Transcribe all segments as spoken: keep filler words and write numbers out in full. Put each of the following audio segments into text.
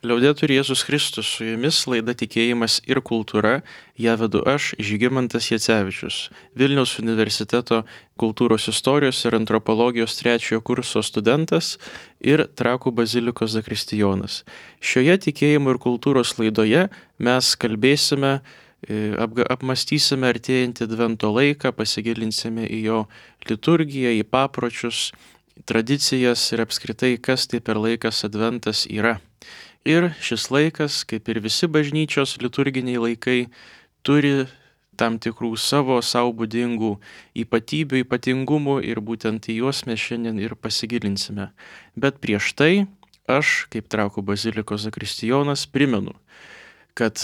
Liaudetur Jėzus Kristus, su jumis laida Tikėjimas ir kultūra, ją vedu aš, Žygimantas Jacevičius, Vilniaus universiteto kultūros istorijos ir antropologijos trečiojo kurso studentas ir Trakų bazilikos zakristijonas. Šioje Tikėjimo ir kultūros laidoje mes kalbėsime, apmastysime artėjantį Advento laiką, pasigilinsime į jo liturgiją, į papročius, tradicijas ir apskritai, kas tai per laikas Adventas yra. Ir šis laikas, kaip ir visi bažnyčios liturginiai laikai, turi tam tikrų savo sau būdingų ypatybių, ypatingumų ir būtent į juos mes šiandien ir pasigilinsime. Bet prieš tai aš, kaip Trakų bazilikos zakristijonas, primenu, kad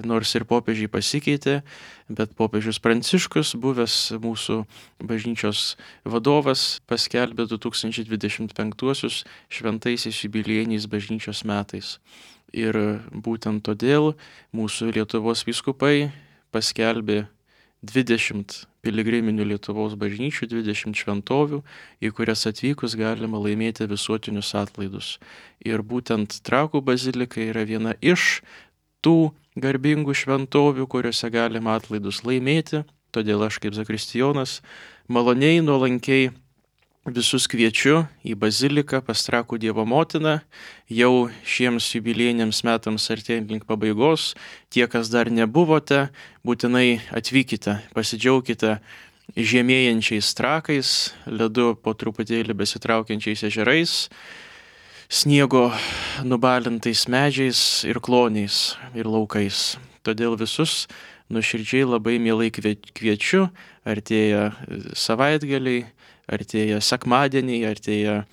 nors ir popiežiai pasikeitė, bet popiežius Pranciškus, buvęs mūsų bažnyčios vadovas, paskelbė du tūkstančiai dvidešimt penktuosius šventaisiais jubiliejiniais bažnyčios metais. Ir būtent todėl mūsų Lietuvos vyskupai paskelbė dvidešimt piligriminių Lietuvos bažnyčių, dvidešimt šventovių, į kurias atvykus galima laimėti visuotinius atlaidus. Ir būtent Trakų bazilika yra viena iš tų garbingų šventovių, kuriuose galima atlaidus laimėti. Todėl aš kaip zakristijonas maloniai, nuolankiai visus kviečiu į baziliką pas Trakų Dievo motiną. Jau šiems jubiliejiniams metams artėjant link pabaigos, tie, kas dar nebuvote, būtinai atvykite, pasidžiaukite žemėjančiais trakais, ledu po truputėlį besitraukiančiais ežerais, sniego nubalintais medžiais ir kloniais ir laukais. Todėl visus nuoširdžiai labai mielai kviečiu, artėja savaitgaliai, artėja sekmadieniai, artėja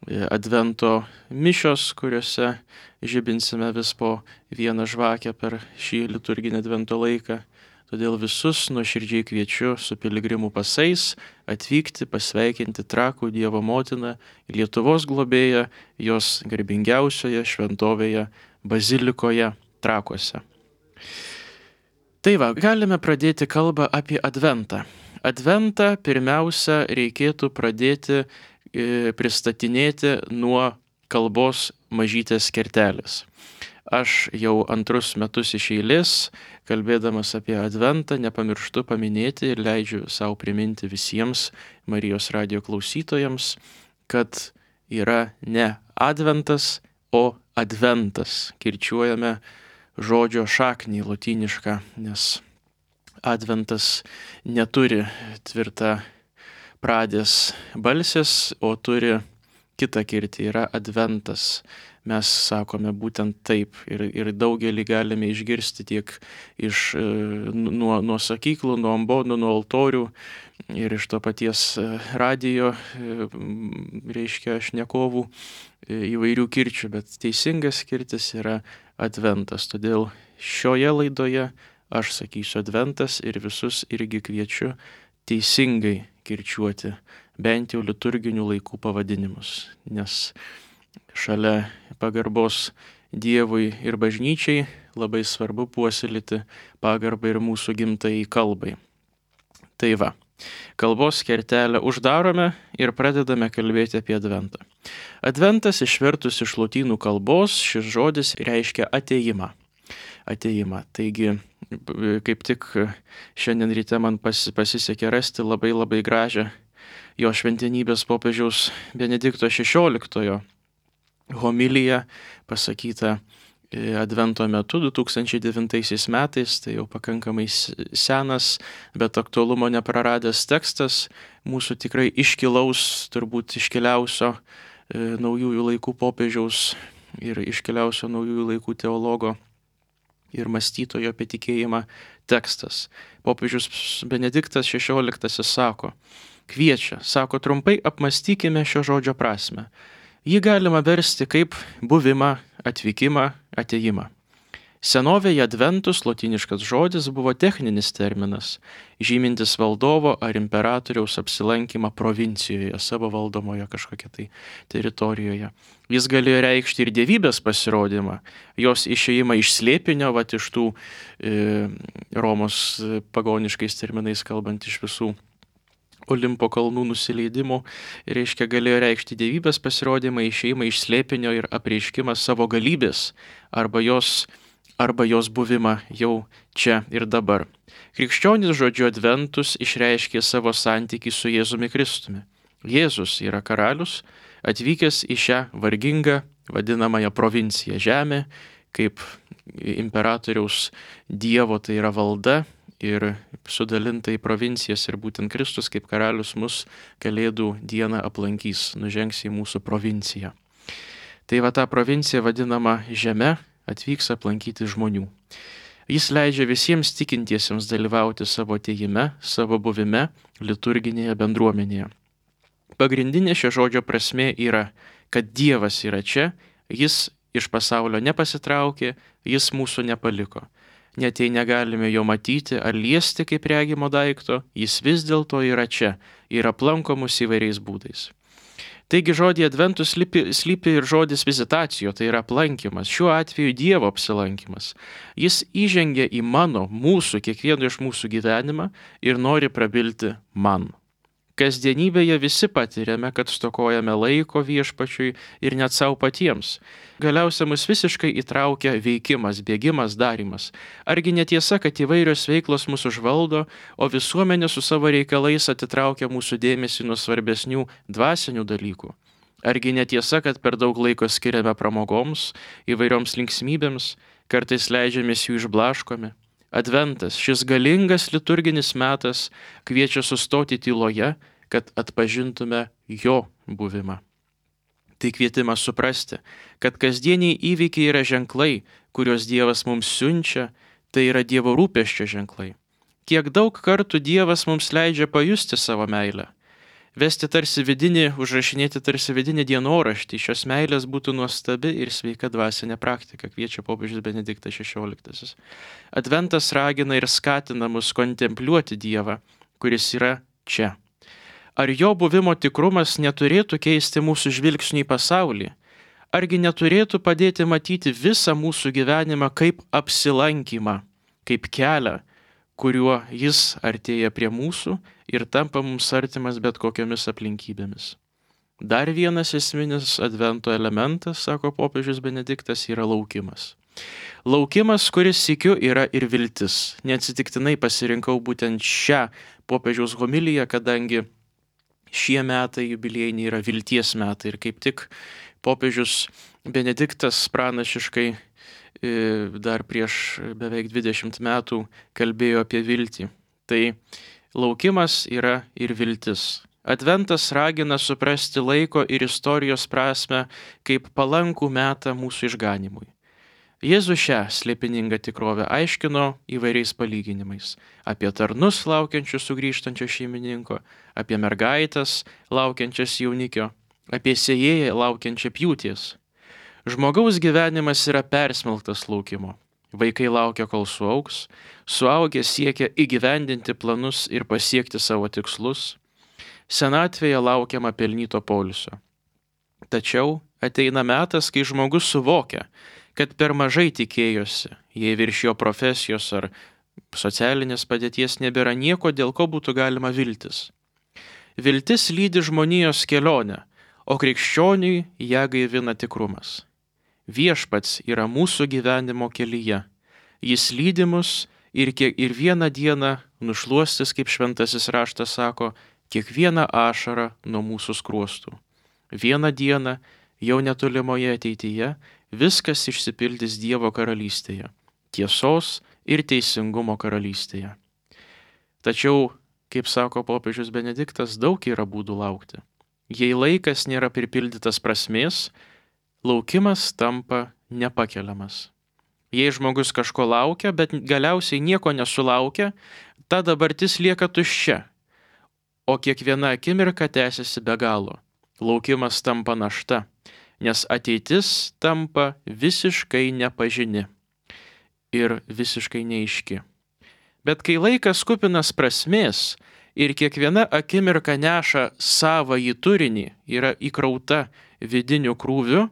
Advento mišios, kuriuose žibinsime vis po vieną žvakę per šį liturginį Advento laiką. Todėl visus nuoširdžiai kviečiu su piligrimų pasais atvykti, pasveikinti Trakų Dievo motiną, Lietuvos globėją, jos garbingiausioje šventovėje bazilikoje Trakuose. Tai va, galime pradėti kalbą apie Adventą. Adventą pirmiausia reikėtų pradėti e, pristatinėti nuo kalbos mažytės kertelės. Aš jau antrus metus iš eilės, kalbėdamas apie Adventą, nepamirštu paminėti ir leidžiu savo priminti visiems Marijos radijo klausytojams, kad yra ne Adventas, o Adventas. Kirčiuojame žodžio šaknį lotynišką, nes Adventas neturi tvirtą pradės balsės, o turi kitą kirtį, yra Adventas. Mes sakome būtent taip ir, ir daugelį galime išgirsti tiek iš, nuo, nuo sakyklų, nuo ambonų, nuo altorių ir iš to paties radijo, reiškia, šnekovų įvairių kirčių, bet teisingas kirtis yra Adventas. Todėl šioje laidoje aš sakysiu Adventas ir visus irgi kviečiu teisingai kirčiuoti bent jau liturginių laikų pavadinimus, nes šalia pagarbos Dievui ir bažnyčiai labai svarbu puoselėti pagarbą ir mūsų gimtajai kalbai. Tai va, kalbos kertelę uždarome ir pradedame kalbėti apie Adventą. Adventas išvertus iš lotynų kalbos, šis žodis reiškia atėjimą. Atėjimą. Taigi, kaip tik šiandien ryte man pasisekė rasti labai labai gražią jo šventenybės popiežiaus Benedikto šešioliktojo homilija pasakyta Advento metu du tūkstančiai devintaisiais metais, tai jau pakankamai senas, bet aktualumo nepraradęs tekstas, mūsų tikrai iškilaus, turbūt iškiliausio naujųjų laikų popiežiaus ir iškiliausio naujųjų laikų teologo ir mąstytojo apie tikėjimą tekstas. Popiežius Benediktas šešioliktasis sako, kviečia, sako, trumpai apmastykime šio žodžio prasme. Jį galima versti kaip buvimą, atvykimą, atėjimą. Senovėje adventus, lotyniškas žodis, buvo techninis terminas, žymintis valdovo ar imperatoriaus apsilankymą provincijoje, savo valdomoje kažkokia tai teritorijoje. Jis galėjo reikšti ir dievybės pasirodymą, jos išėjimą iš slėpinio, vat iš tų e, Romos pagoniškais terminais kalbant iš visų Olimpo kalnų nusileidimų, reiškia galėjo reikšti dievybės pasirodymą, išėjimą iš slėpinio ir apreiškimą savo galybės arba jos, arba jos buvimą jau čia ir dabar. Krikščionis žodžiu adventus išreiškė savo santykį su Jėzumi Kristumi. Jėzus yra karalius, atvykęs į šią vargingą vadinamąją provinciją žemę, kaip imperatoriaus dievo tai yra valda, ir sudalinta į provincijas ir būtent Kristus kaip karalius mus Kalėdų dieną aplankys, nužengs į mūsų provinciją. Tai va ta provincija vadinama žeme atvyks aplankyti žmonių. Jis leidžia visiems tikintiesiems dalyvauti savo atėjime, savo buvime, liturginėje bendruomenėje. Pagrindinė šio žodžio prasmė yra, kad Dievas yra čia, jis iš pasaulio nepasitraukė, jis mūsų nepaliko. Net jei negalime jo matyti ar liesti kaip regimo daikto, jis vis dėlto yra čia ir aplanko mus įvairiais būdais. Taigi žodį adventus slypi, slypi ir žodis vizitacijo, tai yra aplankymas, šiuo atveju Dievo apsilankymas. Jis įžengia į mano, mūsų, kiekvieno iš mūsų gyvenimą ir nori prabilti man. Kasdienybėje visi patiriame, kad stokojame laiko viešpačiui ir net savo patiems. Galiausiai mus visiškai įtraukia veikimas, bėgimas, darimas. Argi netiesa, kad įvairios veiklos mūsų užvaldo, o visuomenė su savo reikalais atitraukia mūsų dėmesį nuo svarbesnių dvasinių dalykų? Argi netiesa, kad per daug laiko skiriame pramogoms, įvairioms linksmybėms, kartais leidžiamės jų išblaškomi? Adventas, šis galingas liturginis metas, kviečia sustoti tyloje, kad atpažintume jo buvimą. Tai kvietimas suprasti, kad kasdieniai įvykiai yra ženklai, kuriuos Dievas mums siunčia, tai yra Dievo rūpesčio ženklai. Kiek daug kartų Dievas mums leidžia pajusti savo meilę. Vesti tarsi vidinį, užrašinėti tarsi vidinį dienoraštį, šios meilės būtų nuostabi ir sveika dvasinė praktika, kviečia popiežius Benediktas šešioliktasis. Adventas ragina ir skatina mus kontempliuoti Dievą, kuris yra čia. Ar jo buvimo tikrumas neturėtų keisti mūsų žvilgsnį į pasaulį? Argi neturėtų padėti matyti visą mūsų gyvenimą kaip apsilankymą, kaip kelią, kuriuo jis artėja prie mūsų ir tampa mums artimas bet kokiomis aplinkybėmis. Dar vienas esminis advento elementas, sako popiežius Benediktas, yra laukimas. Laukimas, kuris sykiu yra ir viltis. Neatsitiktinai pasirinkau būtent šią popiežiaus homiliją, kadangi šie metai jubiliejiniai yra vilties metai ir kaip tik popiežius Benediktas pranašiškai dar prieš beveik dvidešimt metų kalbėjo apie viltį. Tai laukimas yra ir viltis. Adventas ragina suprasti laiko ir istorijos prasmę kaip palankų metą mūsų išganimui. Jėzus šią slėpiningą tikrovę aiškino įvairiais palyginimais. Apie tarnus laukiančius sugrįžtančio šeimininko, apie mergaites laukiančias jaunikio, apie sėjėją laukiančią pjūties. Žmogaus gyvenimas yra persmelktas laukimo. Vaikai laukia, kol suaugs, suaugę siekia įgyvendinti planus ir pasiekti savo tikslus. Senatvėje laukiama pelnyto poilsio. Tačiau ateina metas, kai žmogus suvokia, kad per mažai tikėjosi, jei virš jo profesijos ar socialinės padėties nebėra nieko, dėl ko būtų galima viltis. Viltis lydi žmonijos kelionę, o krikščioniui ją gaivina tikrumas. Viešpats yra mūsų gyvenimo kelyje. Jis lydi mus ir, kiek, ir vieną dieną nušluostis, kaip šventasis raštas sako, kiekvieną ašarą nuo mūsų skruostų. Vieną dieną, jau netolimoje ateityje, viskas išsipildys Dievo karalystėje, tiesos ir teisingumo karalystėje. Tačiau, kaip sako popiežius Benediktas, daug yra būdų laukti. Jei laikas nėra pripildytas prasmės, laukimas tampa nepakeliamas. Jei žmogus kažko laukia, bet galiausiai nieko nesulaukia, ta dabartis lieka tuščia, o kiekviena akimirka tęsiasi be galo. Laukimas tampa našta, nes ateitis tampa visiškai nepažini ir visiškai neaiški. Bet kai laikas kupinas prasmės ir kiekviena akimirka neša savąjį turinį, yra įkrauta vidiniu krūviu,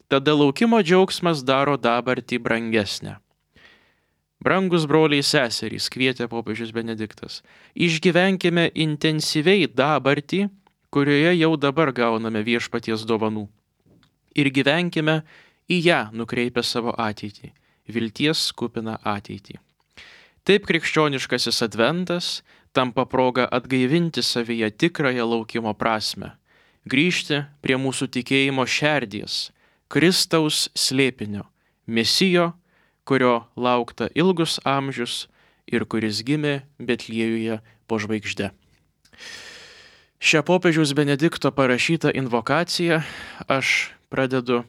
tada laukimo džiaugsmas daro dabartį brangesnę. Brangus broliai seserys, kvietė popiežius Benediktas, išgyvenkime intensyviai dabartį, kurioje jau dabar gauname viešpaties dovanų. Ir gyvenkime į ją nukreipę savo ateitį, vilties kupiną ateitį. Taip krikščioniškasis adventas tampa proga atgaivinti savyje tikrąją laukimo prasme, grįžti prie mūsų tikėjimo šerdies, Kristaus slėpinio, Mesijo, kurio laukta ilgus amžius ir kuris gimė Betliejuje po žvaigžde. Šią popiežiaus Benedikto parašytą invokaciją aš pradedu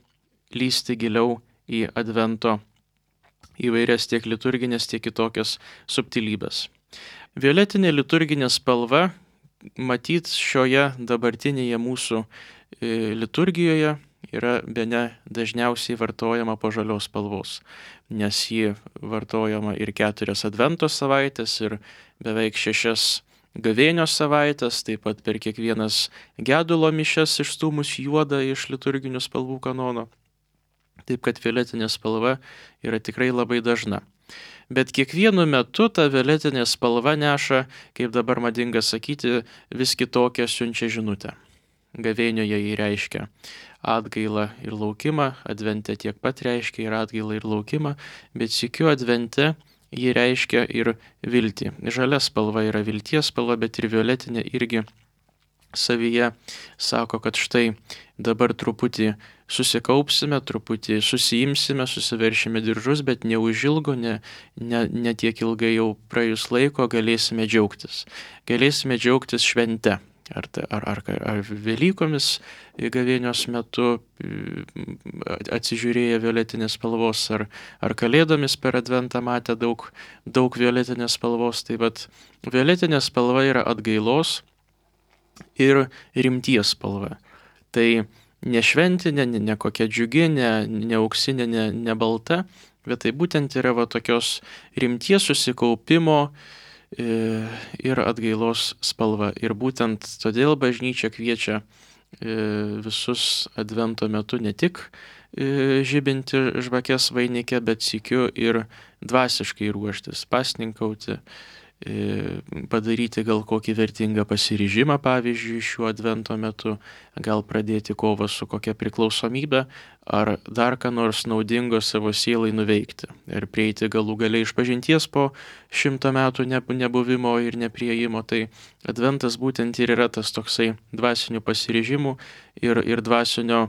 lysti giliau į advento įvairias tiek liturginės, tiek kitokias subtilybės. Violetinė liturginė spalva, matyt, šioje dabartinėje mūsų liturgijoje yra bene dažniausiai vartojama po žalios spalvos, nes ji vartojama ir keturias advento savaitės, ir beveik šešias gavėnios savaitės, taip pat per kiekvienas gedulo mišias išstūmus juodą iš liturginių spalvų kanono. Taip kad violetinė spalva yra tikrai labai dažna. Bet kiekvienu metu ta violetinė spalva neša, kaip dabar madinga sakyti, vis kitokią siunčia žinutę. Gavėnioje jį reiškia atgailą ir laukimą, advente tiek pat reiškia ir atgailą ir laukimą, bet sykiu advente jį reiškia ir viltį. Žalia spalva yra vilties spalva, bet ir violetinė irgi savyje sako, kad štai dabar truputį susikaupsime, truputį susiimsime, susiveršime diržus, bet neužilgo, ne, ne, ne tiek ilgai jau praėjus laiko galėsime džiaugtis. Galėsime džiaugtis švente. Ar, ar, ar, ar Velykomis gavėnios metu atsižiūrėję violetinės spalvos, ar, ar Kalėdomis per adventą matę daug, daug violetinės spalvos. Tai vat violetinė spalva yra atgailos ir rimties spalva. Tai ne šventinė, ne, ne kokia džiugi, ne, ne auksinė, ne, ne balta, bet tai būtent yra va tokios rimties susikaupimo ir atgailos spalva. Ir būtent todėl bažnyčia kviečia visus advento metu ne tik žibinti žvakes vainike, bet sykiu ir dvasiškai ruoštis, pasninkauti, padaryti gal kokį vertingą pasiryžimą, pavyzdžiui, šiuo advento metu, gal pradėti kovą su kokia priklausomybė, ar dar ką nors naudingo savo sielai nuveikti. Ir prieiti galų gale išpažinties po šimto metų nebuvimo ir nepriejimo. Tai adventas būtent ir yra tas toksai dvasinių pasiryžimų ir, ir dvasinio,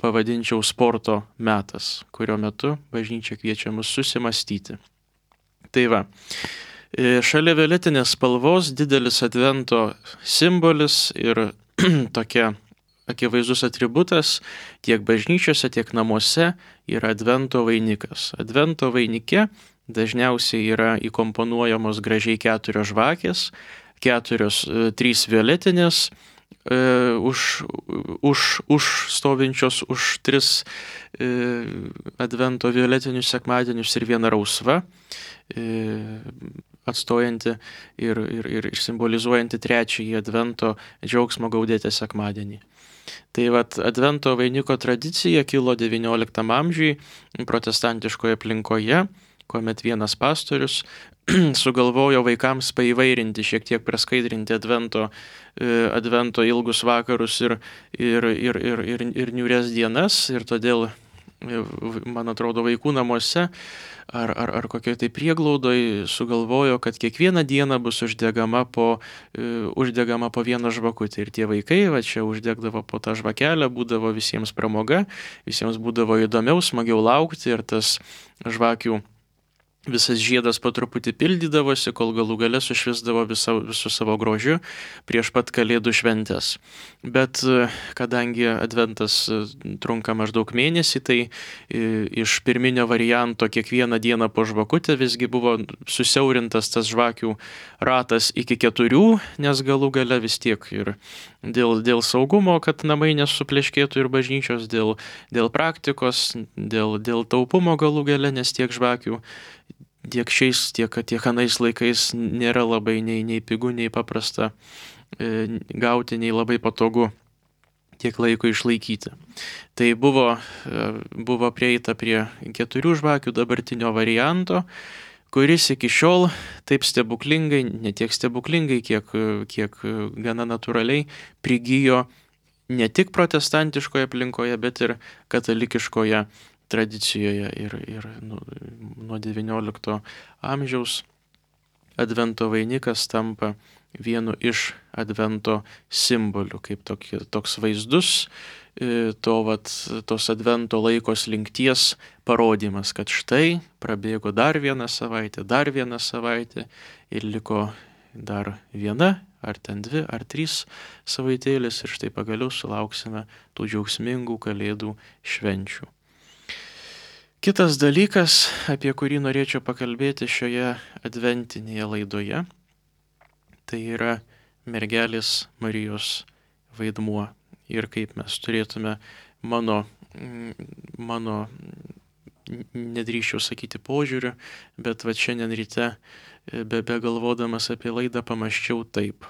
pavadinčiau, sporto metas, kurio metu bažnyčia kviečia mus susimastyti. Tai va. Šalia violetinės spalvos didelis advento simbolis ir tokia akivaizdus atributas tiek bažnyčiose, tiek namuose yra advento vainikas. Advento vainike dažniausiai yra įkomponuojamos gražiai keturios žvakės, keturios, trys violetinės, už, už, už stovinčios už tris advento violetinius sekmadienius ir viena rausva, atstojanti ir, ir, ir simbolizuojanti trečiąjį advento džiaugsmo gaudėti sekmadienį. Tai vat advento vainiko tradicija kilo devynioliktam amžiui protestantiškoje aplinkoje, kuomet vienas pastorius sugalvojo vaikams paįvairinti, šiek tiek praskaidrinti advento, advento ilgus vakarus ir, ir, ir, ir, ir, ir niūrias dienas. Ir todėl, man atrodo, vaikų namuose ar, ar, ar kokioj tai prieglaudoj sugalvojo, kad kiekvieną dieną bus uždegama po, uh, uždegama po vieną žvakutę. Ir tie vaikai va čia uždegdavo po tą žvakelę, būdavo visiems pramoga, visiems būdavo įdomiau, smagiau laukti ir tas žvakių visas žiedas po truputį pildydavosi, kol galų gale sušvisdavo visą, visų savo grožiu prieš pat Kalėdų šventes. Bet kadangi adventas trunka maždaug mėnesį, tai iš pirminio varianto kiekvieną dieną po žvakutę visgi buvo susiaurintas tas žvakių ratas iki keturių, nes galų gale vis tiek ir dėl, dėl saugumo, kad namai nesupleškėtų ir bažnyčios, dėl, dėl praktikos, dėl, dėl taupumo galų gale, nes tiek žvakių tiek šiais, tiek, tiek anais laikais nėra labai nei, nei pigų, nei paprasta e, gauti, nei labai patogu tiek laiko išlaikyti. Tai buvo, buvo prieita prie keturių žvakių dabartinio varianto, kuris iki šiol taip stebuklingai, ne tiek stebuklingai, kiek, kiek gana natūraliai prigijo ne tik protestantiškoje aplinkoje, bet ir katalikiškoje tradicijoje. Ir, ir nu, nuo devyniolikto amžiaus Advento vainikas tampa vienu iš Advento simbolių, kaip tokie, toks vaizdus to, vat, tos Advento laiko slinkties parodymas, kad štai prabėgo dar vieną savaitę, dar vieną savaitę ir liko dar viena, ar ten dvi, ar trys savaitėlės ir štai pagaliau sulauksime tų džiaugsmingų Kalėdų švenčių. Kitas dalykas, apie kurį norėčiau pakalbėti šioje adventinėje laidoje, tai yra mergelės Marijos vaidmuo ir kaip mes turėtume mano, mano nedrįsčiau sakyti požiūriu, bet va šiandien ryte be begalvodamas apie laidą pamąsčiau taip,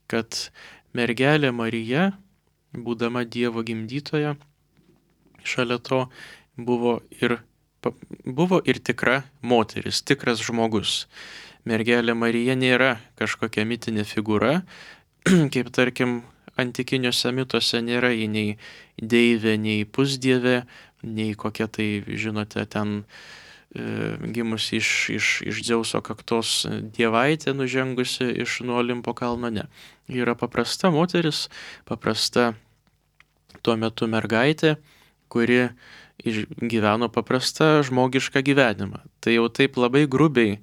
kad mergelė Marija, būdama Dievo gimdytoja, šalia to buvo ir, buvo ir tikra moteris, tikras žmogus. Mergelė Marija nėra kažkokia mitinė figūra, kaip tarkim antikiniuose mituose nėra ji nei deivė, nei pusdievė, nei kokia tai, žinote, ten e, gimusi iš, iš, iš Dzeuso kaktos dievaitė nužengusi iš nuo Olimpo kalno, ne. Ji yra paprasta moteris, paprasta tuo metu mergaitė, kuri gyveno paprastą žmogišką gyvenimą. Tai jau taip labai grubiai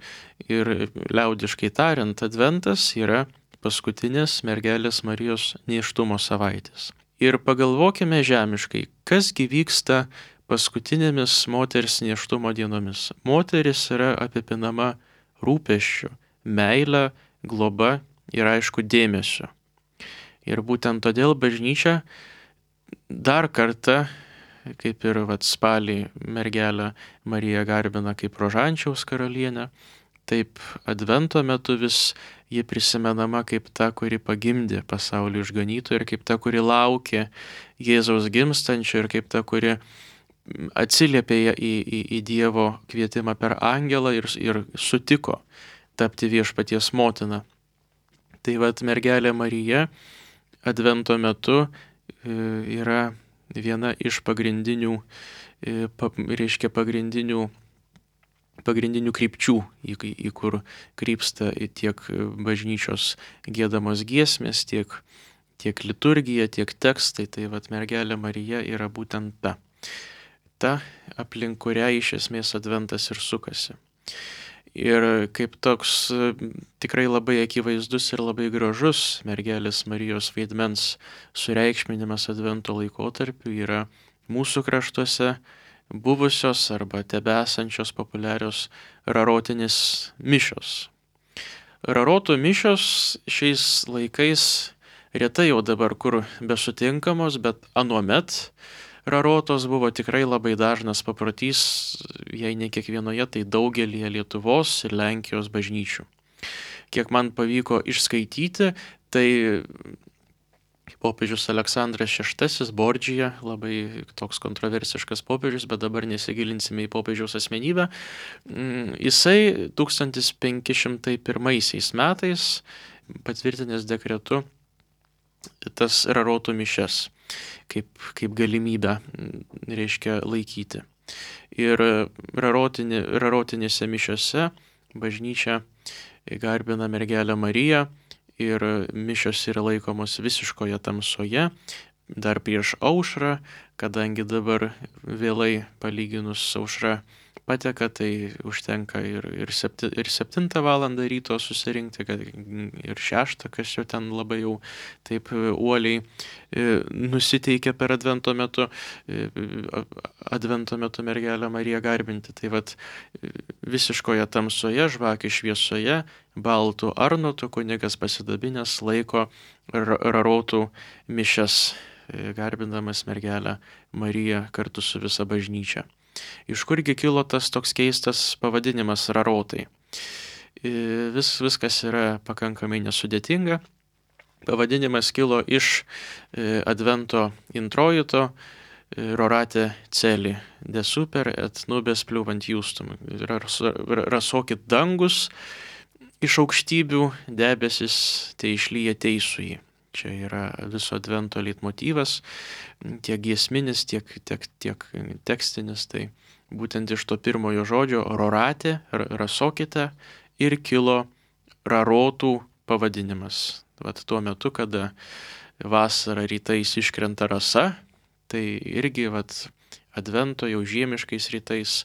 ir liaudiškai tariant, Adventas yra paskutinės mergelės Marijos nėštumo savaitės. Ir pagalvokime žemiškai, kasgi vyksta paskutinėmis moters nėštumo dienomis. Moteris yra apipinama rūpesčiu, meile, globa ir aišku dėmesio. Ir būtent todėl bažnyčia dar kartą, kaip ir vat, spalį mergelę Mariją garbina kaip rožančiaus karalienę, taip Advento metu vis ji prisimenama kaip ta, kuri pagimdė pasaulio išganytoją ir kaip ta, kuri laukė Jėzaus gimstančio ir kaip ta, kuri atsiliepė į, į, į Dievo kvietimą per angelą ir, ir sutiko tapti viešpaties motina. Tai vat mergelė Marija Advento metu yra viena iš pagrindinių, reiškia pagrindinių, pagrindinių krypčių, į, į kur krypsta tiek bažnyčios giedamos giesmės, tiek, tiek liturgija, tiek tekstai. Tai vat mergelė Marija yra būtent ta, ta aplink kurią iš esmės Adventas ir sukasi. Ir kaip toks tikrai labai akivaizdus ir labai gražus mergelės Marijos vaidmens sureikšminimas Advento laikotarpiu yra mūsų kraštuose buvusios arba tebesančios populiarios rarotinės mišios. Rarotų mišios šiais laikais retai jau dabar kur besutinkamos, bet anuomet rarotos buvo tikrai labai dažnas paprotys, jei ne kiekvienoje, tai daugelyje Lietuvos ir Lenkijos bažnyčių. Kiek man pavyko išskaityti, tai popiežius Aleksandras šeštasis Bordžija, labai toks kontroversiškas popiežius, bet dabar nesigilinsime į popiežiaus asmenybę, jisai tūkstantis penki šimtai pirmaisiais metais patvirtinęs dekretu tas rarotų mišias kaip, kaip galimybę, reiškia, laikyti. Ir rarotinė, rarotinėse mišiose bažnyčia garbina mergelę Mariją ir mišios yra laikomos visiškoje tamsoje, dar prieš aušrą, kadangi dabar vėlai palyginus aušra pateka, tai užtenka ir, ir, septi, ir septintą valandą ryto susirinkti, kad ir šeštą, kas jau ten labai jau taip uoliai nusiteikia per Advento metu, Advento metu mergelę Mariją garbinti. Tai vat visiškoje tamsoje, žvakių šviesoje, baltų arnotų kunigas pasidabinęs laiko rarotų mišias, garbindamas mergelę Mariją kartu su visa bažnyčia. Iš kurgi kilo tas toks keistas pavadinimas rarotai? Vis, viskas yra pakankamai nesudėtinga. Pavadinimas kilo iš Advento introjito Rorate celi, de super et nubes pliuvant justum. Rasokit dangus iš aukštybių, debesis tai išlyja teisųjį. Čia yra viso Advento leitmotyvas, tiek giesminis, tiek, tiek, tiek tekstinis. Tai būtent iš to pirmojo žodžio rorate, rasokite, ir kilo rarotų pavadinimas. Vat tuo metu, kada vasarą rytais iškrenta rasa, tai irgi vat Advento jau žiemiškais rytais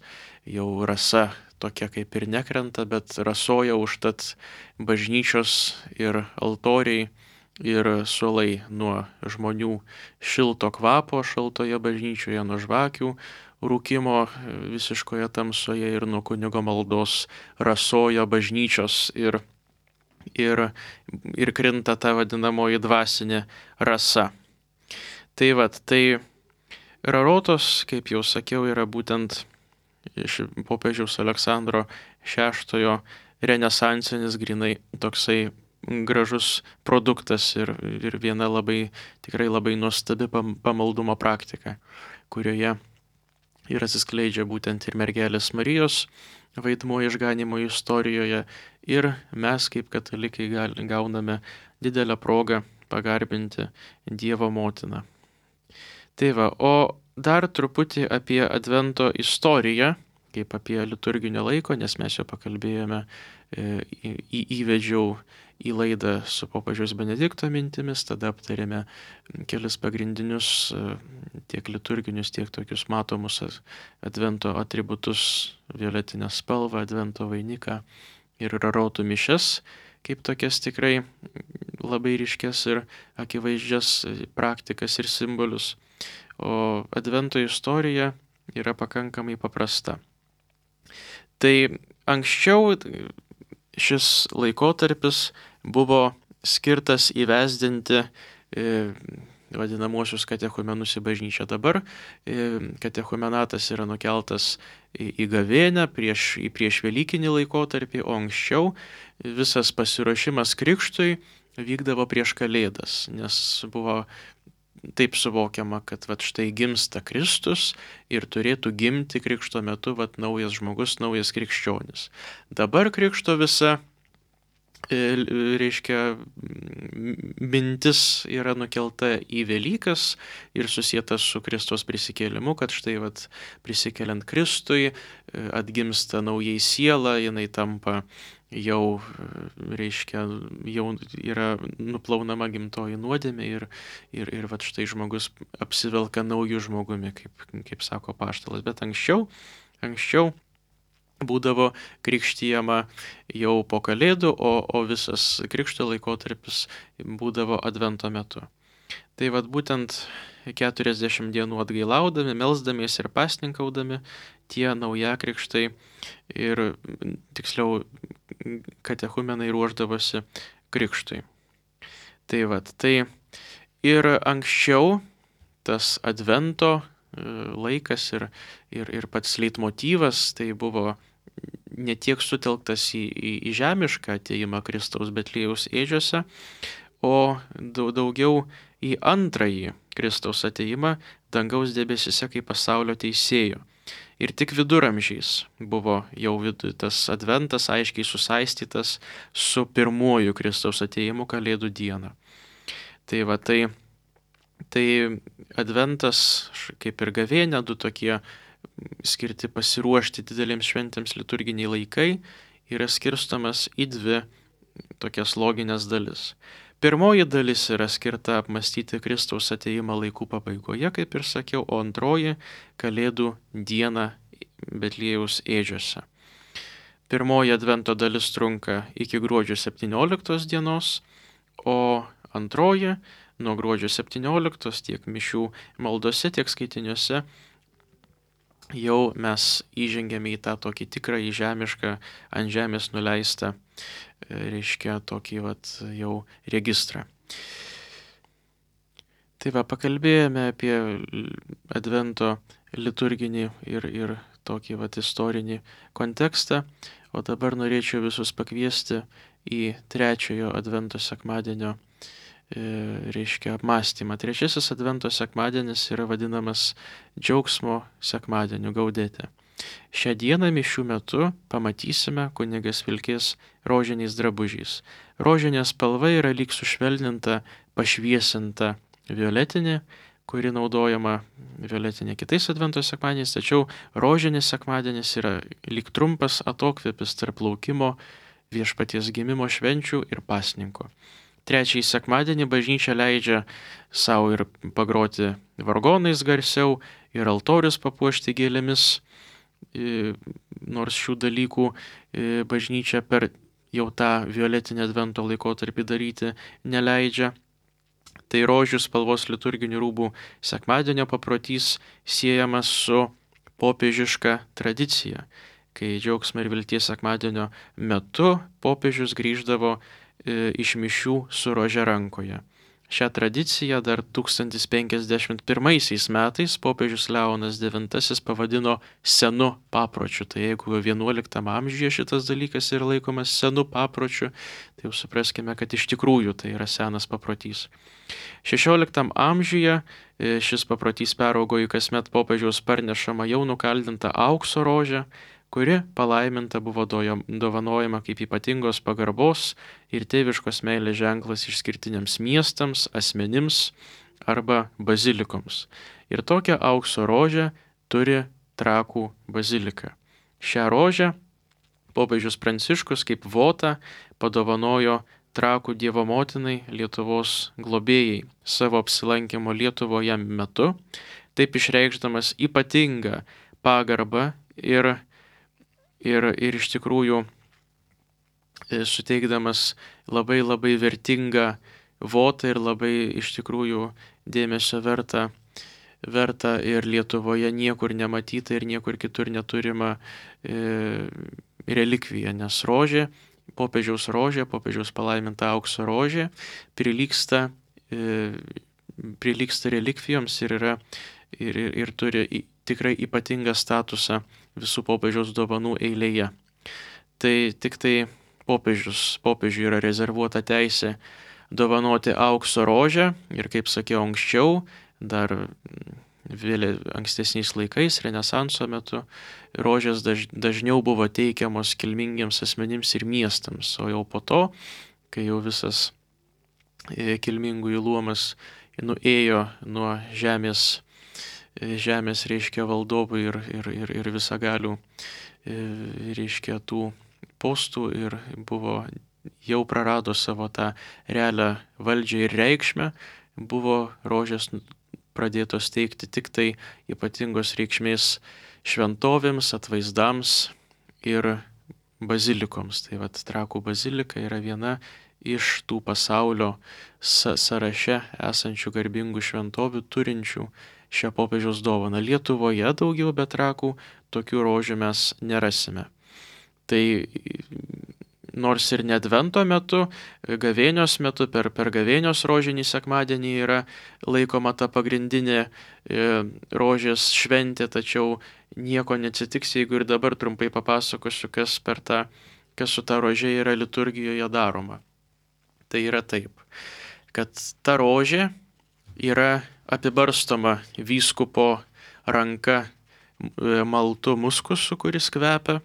jau rasa tokia kaip ir nekrenta, bet rasoja užtat bažnyčios ir altoriai ir suolai nuo žmonių šilto kvapo šaltoje bažnyčioje, nuo žvakių rūkimo visiškoje tamsoje ir nuo kunigo maldos rasoja bažnyčios ir Ir, ir krinta ta vadinamoji dvasinė rasa. Tai vad, tai rarotos, kaip jau sakiau, yra būtent iš popiežiaus Aleksandro šeštojo renesansinis grinai toksai gražus produktas ir, ir viena labai, tikrai labai nuostabi pamaldumo praktika, kurioje ir atsiskleidžia būtent ir mergelės Marijos vaidmuo išganimo istorijoje ir mes kaip katalikai gauname didelę progą pagarbinti Dievo motiną. Tai va, o dar truputį apie Advento istoriją, kaip apie liturginio laiko, nes mes jau pakalbėjome, į, į, įvedžiau į laidą su popiežiaus Benedikto mintimis, tada aptarėme kelis pagrindinius tiek liturginius, tiek tokius matomus Advento atributus, violetinę spalvą, Advento vainiką ir rarotų mišias, kaip tokias tikrai labai ryškias ir akivaizdžias praktikas ir simbolius. O Advento istorija yra pakankamai paprasta. Tai anksčiau šis laikotarpis buvo skirtas įvesdinti e, vadinamosius katechumenus į bažnyčią. Dabar e, katechumenatas yra nukeltas į, į gavėnią prieš, į prieš velykinį laikotarpį, o anksčiau visas pasiruošimas krikštui vykdavo prieš Kalėdas, nes buvo taip suvokiama, kad vat štai gimsta Kristus ir turėtų gimti krikšto metu vat naujas žmogus, naujas krikščionis. Dabar krikšto visa, reiškia, mintis yra nukelta į Velykas ir susieta su Kristaus prisikėlimu, kad štai vat prisikeliant Kristui atgimsta naujai siela, jinai tampa jau, reiškia, jau yra nuplaunama gimtoji nuodėmė ir, ir, ir vat štai žmogus apsivelka naujų žmogumi, kaip, kaip sako apaštalas. Bet anksčiau, anksčiau būdavo krikštijama jau po Kalėdų, o, o visas krikšto laikotarpis būdavo Advento metu. Tai vat būtent keturiasdešimt dienų atgailaudami, melsdamiesi ir pasninkaudami, tie naujakrikštai ir tiksliau katechumenai ruošdavosi krikštui. Tai vat, tai ir anksčiau tas Advento laikas ir, ir, ir pats leitmotyvas tai buvo ne tiek sutelktas į, į, į žemišką atėjimą Kristaus Betliejaus ėdžiose, o daugiau į antrąjį Kristaus atėjimą dangaus debesyse kaip pasaulio teisėjo. Ir tik viduramžiais buvo jau tas Adventas aiškiai susaistytas su pirmuoju Kristaus atėjimu Kalėdų dieną. Tai va, tai, tai Adventas, kaip ir gavėnia, du tokie skirti pasiruošti didelėms šventėms liturginiai laikai, yra skirstomas į dvi tokias loginės dalis. Pirmoji dalis yra skirta apmastyti Kristaus atėjimą laikų pabaigoje, kaip ir sakiau, o antroji Kalėdų dieną Betliejaus ėdžiose. Pirmoji Advento dalis trunka iki gruodžio septynioliktos dienos, o antroji nuo gruodžio septynioliktos tiek mišių maldose, tiek skaitiniuose jau mes įžengėme į tą tokį tikrąjį žemišką, ant žemės nuleistą, reiškia tokį vat jau registrą. Tai va, pakalbėjome apie Advento liturginį ir, ir tokį vat istorinį kontekstą, o dabar norėčiau visus pakviesti į trečiojo Advento sekmadienio reiškia apmąstymą. Trečiasis Advento sekmadienis yra vadinamas džiaugsmo sekmadieniu gaudete. Šią dieną mišių metu pamatysime kunigas vilkės rožiniais drabužiais. Rožinė spalva yra lyg sušvelninta, pašviesinta violetinė, kuri naudojama violetinė kitais Advento sekmadieniais, tačiau rožinis sekmadienis yra lyg trumpas atokvėpis tarp laukimo viešpaties gimimo švenčių ir pasninko. Trečiąjį sekmadienį bažnyčia leidžia savo ir pagroti vargonais garsiau, ir altorius papuošti gėlėmis, nors šių dalykų bažnyčia per jau tą violetinę Advento laikotarpį daryti neleidžia. Tai rožių spalvos liturginių rūbų sekmadienio paprotys siejamas su popiežiška tradicija, kai džiaugsmo ir vilties sekmadienio metu popiežius grįždavo iš mišių su rože rankoje. Šią tradiciją dar tūkstantis penkiasdešimt pirmaisiais metais popiežius Leonas devintasis pavadino senu papročiu. Tai jeigu vienuoliktame amžiuje šitas dalykas yra laikomas senu papročiu, tai jau supraskime, kad iš tikrųjų tai yra senas paprotys. šešioliktame amžiuje šis paprotys peraugo į kasmet popiežiaus parnešamą jau nukaldintą aukso rožę, kuri palaiminta buvo dovanojama kaip ypatingos pagarbos ir tėviškos meilės ženklas išskirtiniams miestams, asmenims arba bazilikoms. Ir tokią aukso rožę turi Trakų bazilika. Šią rožę popiežius Pranciškus kaip votą padovanojo Trakų Dievo motinai, Lietuvos globėjai, savo apsilankimo Lietuvoje metu, taip išreikšdamas ypatingą pagarbą ir Ir, ir iš tikrųjų suteikdamas labai labai vertingą votą ir labai iš tikrųjų dėmesio vertą, vertą ir Lietuvoje niekur nematytą ir niekur kitur neturimą e, relikviją, nes rožė, popiežiaus rožė, popiežiaus palaiminta aukso rožė prilygsta, e, prilygsta relikvijoms ir, yra, ir, ir, ir turi tikrai ypatingą statusą visų popiežiaus dovanų eilėje. Tai tik tai popiežius, popiežiui yra rezervuota teisė dovanoti aukso rožę ir, kaip sakiau anksčiau, dar vėliau ankstesniais laikais, Renesanso metu, rožės daž, dažniau buvo teikiamos kilmingiems asmenims ir miestams, o jau po to, kai jau visas kilmingųjų luomas nuėjo nuo žemės žemės, reiškia, valdovų ir, ir, ir, ir visagalių, reiškia, tų postų ir buvo, jau prarado savo tą realią valdžią ir reikšmę, buvo rožės pradėtos teikti tik tai ypatingos reikšmės šventovėms, atvaizdams ir bazilikoms. Tai vat Trakų bazilika yra viena iš tų pasaulio sąraše esančių garbingų šventovių turinčių šią popiežiaus dovaną. Lietuvoje daugiau be Trakų tokių rožių mes nerasime. Tai nors ir ne Advento metu, gavėnios metu, per, per gavėnios rožinį sekmadienį yra laikoma ta pagrindinė e, rožės šventė, tačiau nieko neatsitiks, jeigu ir dabar trumpai papasakosiu, kas, per tą, kas su ta rožė yra liturgijoje daroma. Tai yra taip, kad ta rožė yra apibarstoma vyskupo ranka maltu muskusu, kuris kvepia,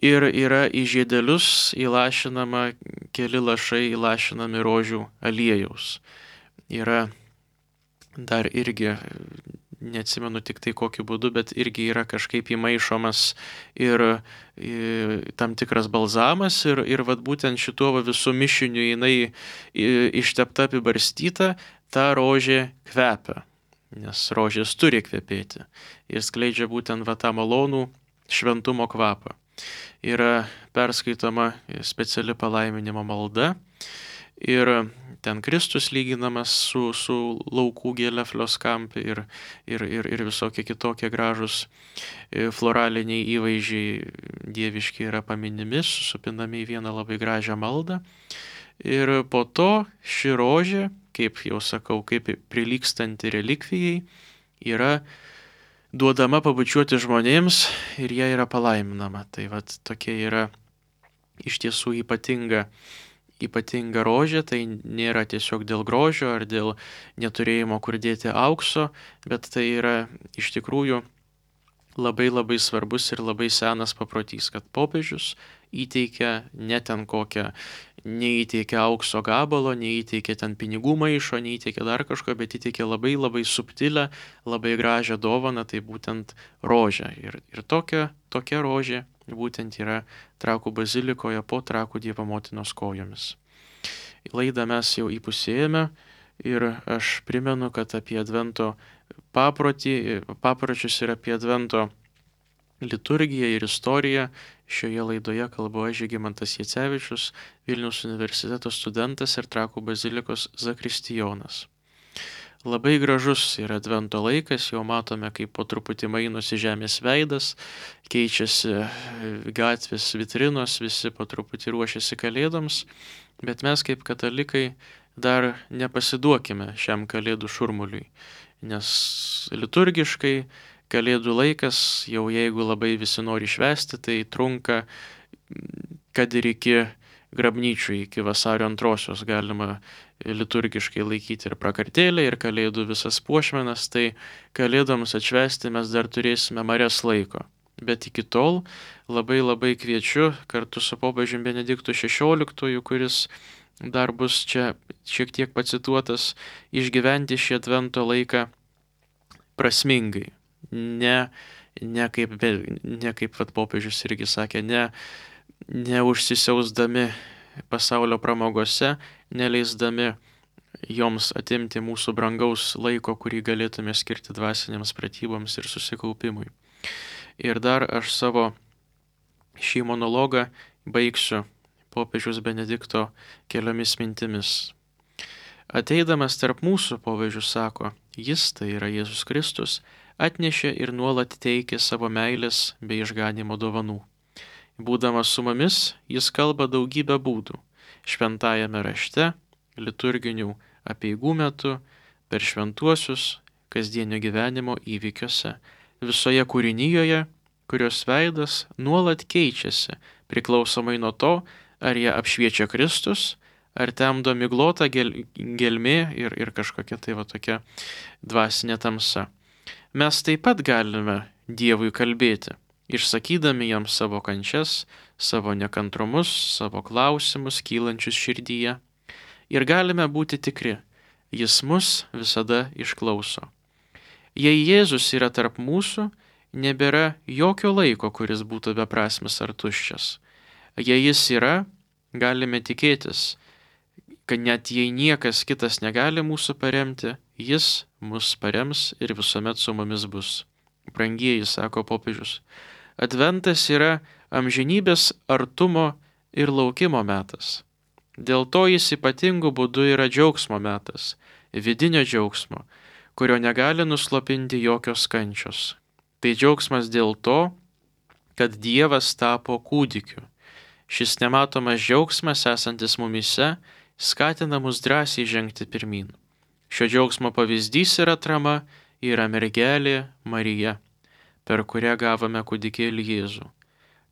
ir yra į žiedelius įlašinama keli lašai įlašinami rožių aliejaus. Yra dar irgi, neatsimenu tik tai kokiu būdu, bet irgi yra kažkaip įmaišomas ir, ir tam tikras balzamas ir, ir vat būtent šituo visų mišiniu jinai ištepta, apibarstyta, ta rožė kvepia, nes rožės turi kvepėti ir skleidžia būtent va tą malonų šventumo kvapą. Yra perskaitoma speciali palaiminimo malda ir ten Kristus lyginamas su, su laukų gėle floskampi ir, ir, ir, ir visokie kitokie gražus floraliniai įvaizdžiai dieviški yra paminimi, susupinami į vieną labai gražią maldą. Ir po to ši rožė, kaip jau sakau, kaip prilygstanti relikvijai, yra duodama pabučiuoti žmonėms ir jie yra palaiminama. Tai vat tokia yra iš tiesų ypatinga, ypatinga rožė, tai nėra tiesiog dėl grožio ar dėl neturėjimo kur dėti aukso, bet tai yra iš tikrųjų labai labai svarbus ir labai senas paprotys, kad popiežius įteikia ne ten kokią, neįteikia aukso gabalo, neįteikia ten pinigų maišo, neįteikia dar kažko, bet įteikia labai labai subtilę, labai gražią dovaną, tai būtent rožę. Ir, ir tokia, tokia rožė būtent yra Trakų bazilikoje po Trakų Dievo motinos kojomis. Laidą mes jau įpusėjame ir aš primenu, kad apie Advento paprotį, papročius ir apie Advento liturgiją ir istoriją šioje laidoje kalbu aš, Žygimantas Jacevičius, Vilniaus universiteto studentas ir Trakų bazilikos zakristijonas. Labai gražus yra Advento laikas, jau matome, kaip po truputį mainosi žemės veidas, keičiasi gatvės vitrinos, visi po truputį ruošiasi kalėdoms, bet mes kaip katalikai dar nepasiduokime šiam kalėdų šurmuliui, nes liturgiškai kalėdų laikas, jau jeigu labai visi nori švęsti, tai trunka, kad ir iki grabnyčių, iki vasario antrosios galima liturgiškai laikyti ir prakartėlę, ir kalėdų visas puošmenas, tai kalėdoms atšvęsti mes dar turėsime marias laiko. Bet iki tol labai labai kviečiu kartu su popiežiumi Benediktu šešioliktuoju, kuris dar bus čia šiek tiek pacituotas, išgyventi šį Advento laiką prasmingai. Ne, ne kaip, ne kaip vat, popiežius irgi sakė, ne, neužsisiausdami pasaulio pramogose, neleisdami joms atimti mūsų brangaus laiko, kurį galėtume skirti dvasiniams pratyboms ir susikaupimui. Ir dar aš savo šį monologą baigsiu popiežiaus Benedikto keliomis mintimis. Ateidamas tarp mūsų, popiežius sako, jis, tai yra Jėzus Kristus, atnešė ir nuolat teikė savo meilės bei išganimo dovanų. Būdamas su mumis, jis kalba daugybę būdų. Šventajame rašte, liturginių apeigų metu, per šventuosius, kasdienio gyvenimo įvykiuose, visoje kūrinyjoje, kurios veidas nuolat keičiasi, priklausomai nuo to, ar ją apšviečia Kristus, ar temdo miglota gel, gelmė ir, ir kažkokia tai va tokia dvasinė tamsa. Mes taip pat galime Dievui kalbėti, išsakydami jam savo kančias, savo nekantrumus, savo klausimus kylančius širdyje. Ir galime būti tikri, jis mus visada išklauso. Jei Jėzus yra tarp mūsų, nebėra jokio laiko, kuris būtų beprasmis ar tuščias. Jei jis yra, galime tikėtis, kad net jei niekas kitas negali mūsų paremti, jis mus parems ir visuomet su mumis bus. Brangieji, sako popiežius, Adventas yra amžinybės artumo ir laukimo metas. Dėl to jis ypatingų būdų yra džiaugsmo metas, vidinio džiaugsmo, kurio negali nuslopinti jokios kančios. Tai džiaugsmas dėl to, kad Dievas tapo kūdikiu. Šis nematomas džiaugsmas esantis mumise skatina mus drąsiai žengti pirmyn. Šio džiaugsmo pavyzdys ir atrama yra mergelė Marija, per kurią gavome kūdikėlį Jėzų.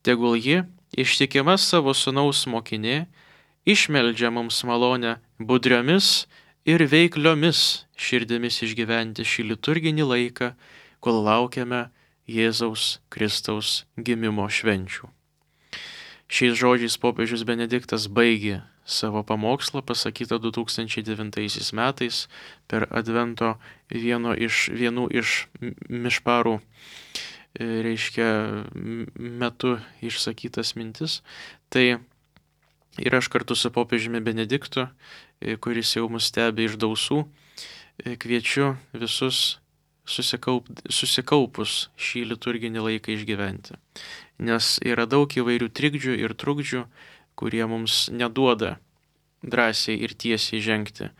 Tegul ji, ištikima savo sūnaus mokinė, išmeldžia mums malonę budriomis ir veikliomis širdimis išgyventi šį liturginį laiką, kol laukiame Jėzaus Kristaus gimimo švenčių. Šiais žodžiais popiežius Benediktas baigė savo pamokslą pasakytą du tūkstančiai devintaisiais metais per Advento vieno iš, vienų iš mišparų, reiškia, metu išsakytas mintis. Tai ir aš kartu su popiežiumi Benediktu, kuris jau mus stebi iš dausų, kviečiu visus susikaup, susikaupus šį liturginį laiką išgyventi. Nes yra daug įvairių trikdžių ir trukdžių, kurie mums neduoda drąsiai ir tiesiai žengti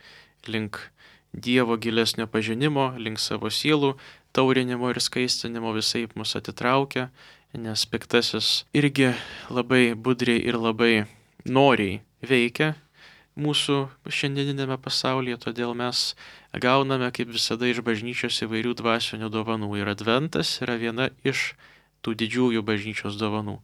link Dievo gilesnio pažinimo, link savo sielų taurinimo ir skaistinimo, visaip mus atitraukia, nes piktasis irgi labai budriai ir labai noriai veikia mūsų šiandieninėme pasaulyje, todėl mes gauname kaip visada iš bažnyčios įvairių dvasinių dovanų. Ir Adventas yra viena iš tų didžiųjų bažnyčios dovanų.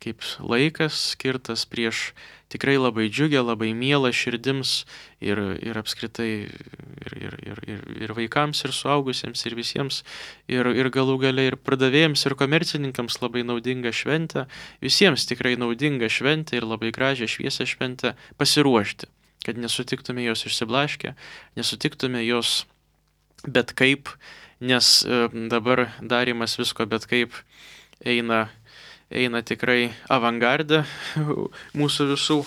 kaip laikas skirtas prieš tikrai labai džiugę, labai mielą širdims ir, ir apskritai ir, ir, ir, ir, ir vaikams, ir suaugusiems, ir visiems, ir, ir galų gale ir pardavėjams, ir komercininkams labai naudinga šventė, visiems tikrai naudinga šventė ir labai gražią šviesią šventę pasiruošti, kad nesutiktume jos išsiblaškę, nesutiktume jos bet kaip, nes dabar darimas visko bet kaip eina eina tikrai avangarde mūsų visų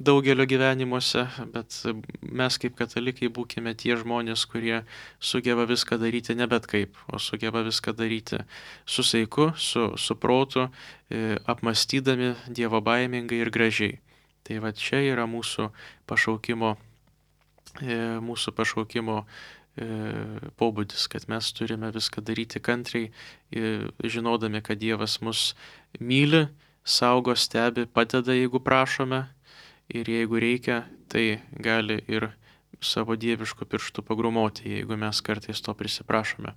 daugelio gyvenimuose, bet mes kaip katalikai būkime tie žmonės, kurie sugeba viską daryti ne bet kaip, o sugeba viską daryti su saiku, su, su protu, apmastydami Dievo baimingai ir gražiai. Tai va čia yra mūsų pašaukimo, mūsų pašaukimo pobūdis, kad mes turime viską daryti kantriai, žinodami, kad Dievas mus myli, saugo, stebi, padeda, jeigu prašome, ir jeigu reikia, tai gali ir savo dieviškų pirštų pagrumoti, jeigu mes kartais to prisiprašome,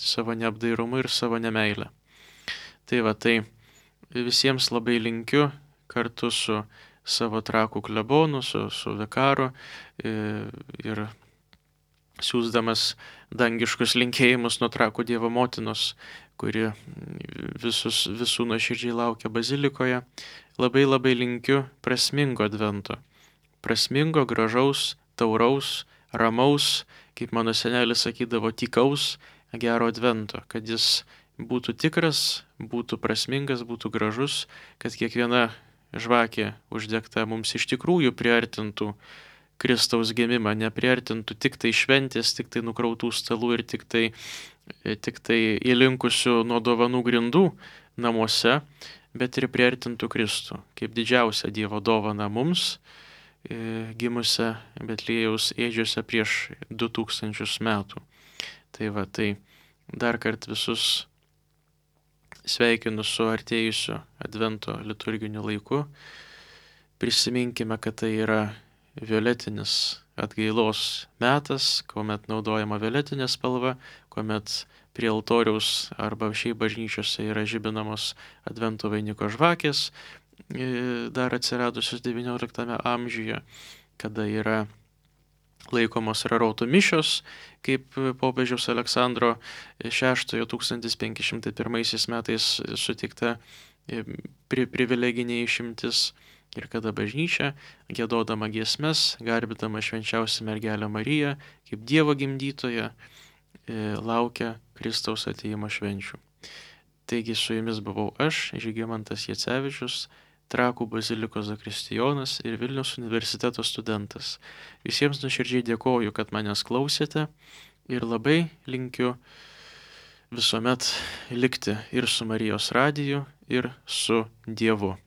savo neapdairumu ir savo nemeilę. Tai va, tai visiems labai linkiu kartu su savo Trakų klebonu, su, su vikaru ir siūsdamas dangiškus linkėjimus nuo Trakų Dievo motinos, kuri visus, visų nuoširdžiai laukia bazilikoje. Labai labai linkiu prasmingo advento. Prasmingo, gražaus, tauraus, ramaus, kaip mano senelis sakydavo, tykaus, gero advento. Kad jis būtų tikras, būtų prasmingas, būtų gražus, kad kiekviena žvakė uždegta mums iš tikrųjų priartintų Kristaus gimimą, nepriartintų tik tai šventės, tik tai nukrautų stalų ir tik tai, tik tai įlinkusių nuo dovanų grindų namuose, bet ir priartintų Kristų, kaip didžiausią Dievo dovaną mums, gimusią Betliejaus ėdžiose prieš du tūkstančius metų. Tai va, tai dar kart visus sveikinu su artėjusiu advento liturginiu laiku. Prisiminkime, kad tai yra violetinis atgailos metas, kuomet naudojama violetinė spalva, kuomet prie altoriaus arba šiaip bažnyčiose yra žibinamos advento vainiko žvakės, dar atsiradusios devynioliktame amžiuje, kada yra laikomos rarotų mišios, kaip popiežiaus Aleksandro šeštojo tūkstantis penki šimtai pirmaisiais metais suteikta pri, privileginė išimtis. Ir kada bažnyčia, giedodama giesmes, garbindama švenčiausią mergelę Mariją, kaip Dievo gimdytoją, laukia Kristaus atėjimo švenčių. Taigi su jumis buvau aš, Žygimantas Jacevičius, Trakų bazilikos zakristijonas ir Vilniaus universiteto studentas. Visiems nuoširdžiai dėkoju, kad manęs klausėte ir labai linkiu visuomet likti ir su Marijos radiju, ir su Dievu.